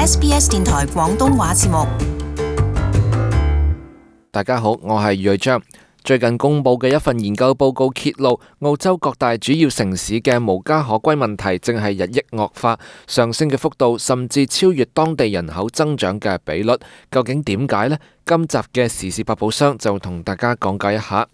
SBS 電台廣東話節目。大家好，我係余瑞章。最近公布嘅一份研究報告揭露，澳洲各大主要城市嘅無家可歸問題正係日益惡化，上升嘅幅度甚至超越當地人口增長嘅比率。究竟點解呢？今集嘅時事百寶箱就同大家講解一下。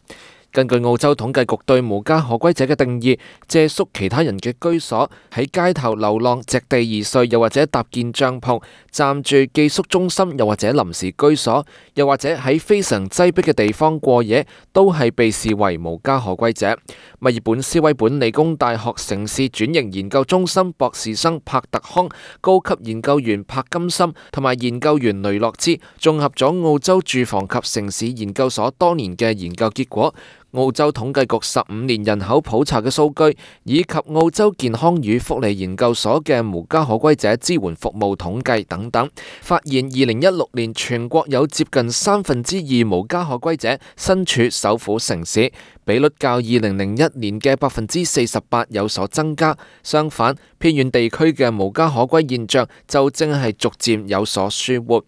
根據澳洲統計局對無家可歸者嘅定義，借宿其他人嘅居所，喺街頭流浪、席地而睡，又或者搭建帳篷、暫住寄宿中心，又或者臨時居所，又或者喺非常擠迫嘅地方過夜，都係被視為無家可歸者。墨爾本斯威本理工大學城市轉型研究中心博士生帕特康、高級研究員柏金森同埋研究員雷諾茲綜合咗澳洲住房及城市研究所多年嘅研究結果、澳洲統計局15年人口普查嘅數據，以及澳洲健康與福利研究所嘅無家可歸者支援服務統計等等，發現2016年全國有接近2/3無家可歸者身處首府城市，比率較2001年嘅48%有所增加。相反，偏遠地區嘅無家可歸現象就正係逐漸有所舒緩。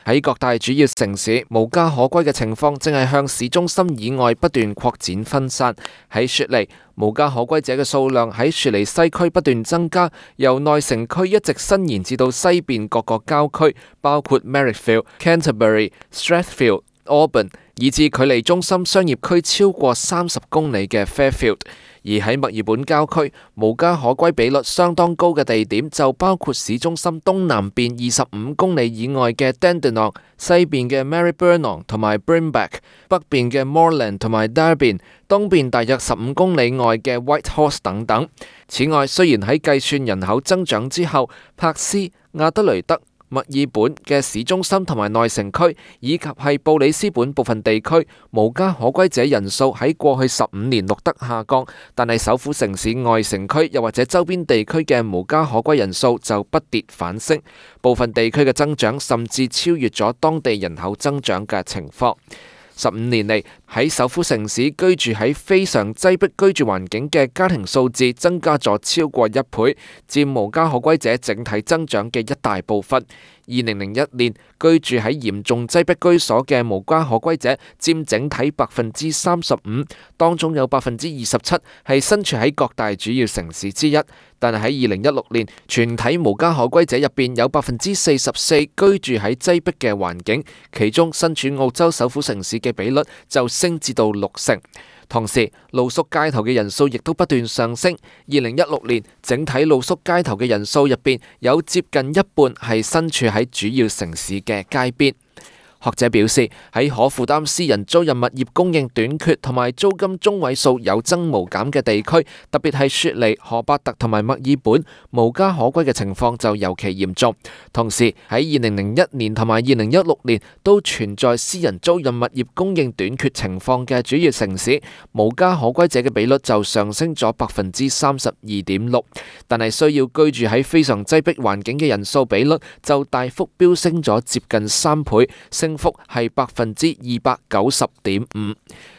喺各大主要城市，無家可歸嘅情況正係向市中心以外不斷擴展分散。喺雪梨，無家可歸者嘅數量喺雪梨西區不斷增加，由內城區一直伸延至到西邊各個郊區，包括 Marrickville、Canterbury、Strathfield、Auburn， 以至距離中心商業區超過30公里嘅 Fairfield。而喺墨爾本郊區，無家可歸比率相當高嘅地點就包括市中心東南邊25公里以外嘅 Dandenong、西邊嘅 Maribyrnong 同埋 Brimback、北邊嘅 Moreland 同埋 Darwin、東邊大約15公里外嘅 Whitehorse 等等。此外，雖然喺計算人口增長之後，柏斯、亞德雷德、墨爾本嘅市中心同埋內城區，以及係布里斯本部分地區，無家可歸者人數喺過去15年錄得下降，但係首府城市外城區又或者周邊地區嘅無家可歸人數就不跌反升，部分地區嘅增長甚至超越咗當地人口增長嘅情況。15年嚟，喺首府城市居住喺非常擠迫居住環境嘅家庭數字增加咗超過1倍，佔無家可歸者整體增長嘅一大部分。2001年，居住喺嚴重擠迫居所嘅無家可歸者佔整體35%，當中有27%係身處喺各大主要城市之一。但係喺2016年，全體無家可歸者入邊有44%居住喺擠迫嘅環境，其中身處澳洲首府城市嘅比率就升至到60%。同時，露宿街頭嘅人數亦都不斷上升。2016年，整體露宿街頭嘅人數入邊有接近一半係身處喺主要城市嘅街邊。學者表示，喺可負擔私人租賃物業供應短缺同埋租金中位數有增無減嘅地區，特別係雪梨、荷伯特同埋墨爾本，無家可歸嘅情況就尤其嚴重。同時喺2001年同埋2016年都存在私人租賃物業供應短缺情況嘅主要城市，無家可歸者嘅比率就上升咗32.6%，但係需要居住喺非常擠迫環境嘅人數比率就大幅飆升咗接近3倍，升幅係290.5%。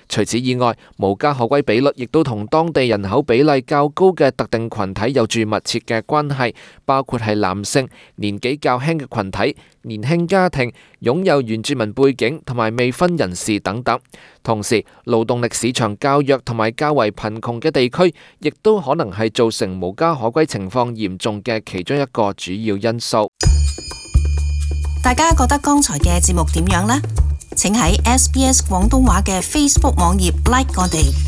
除此以外，無家可歸比率亦都同當地人口比例較高嘅特定群體有住密切嘅關係，包括係男性、年紀較輕嘅群體、年輕家庭、擁有原住民背景同埋未婚人士等等。同時，勞動力市場較弱同埋較為貧窮嘅地區，亦都可能係造成無家可歸情況嚴重嘅其中一個主要因素。大家覺得剛才嘅節目點樣呢？請喺SBS 廣東話嘅 Facebook 網頁 like 我哋。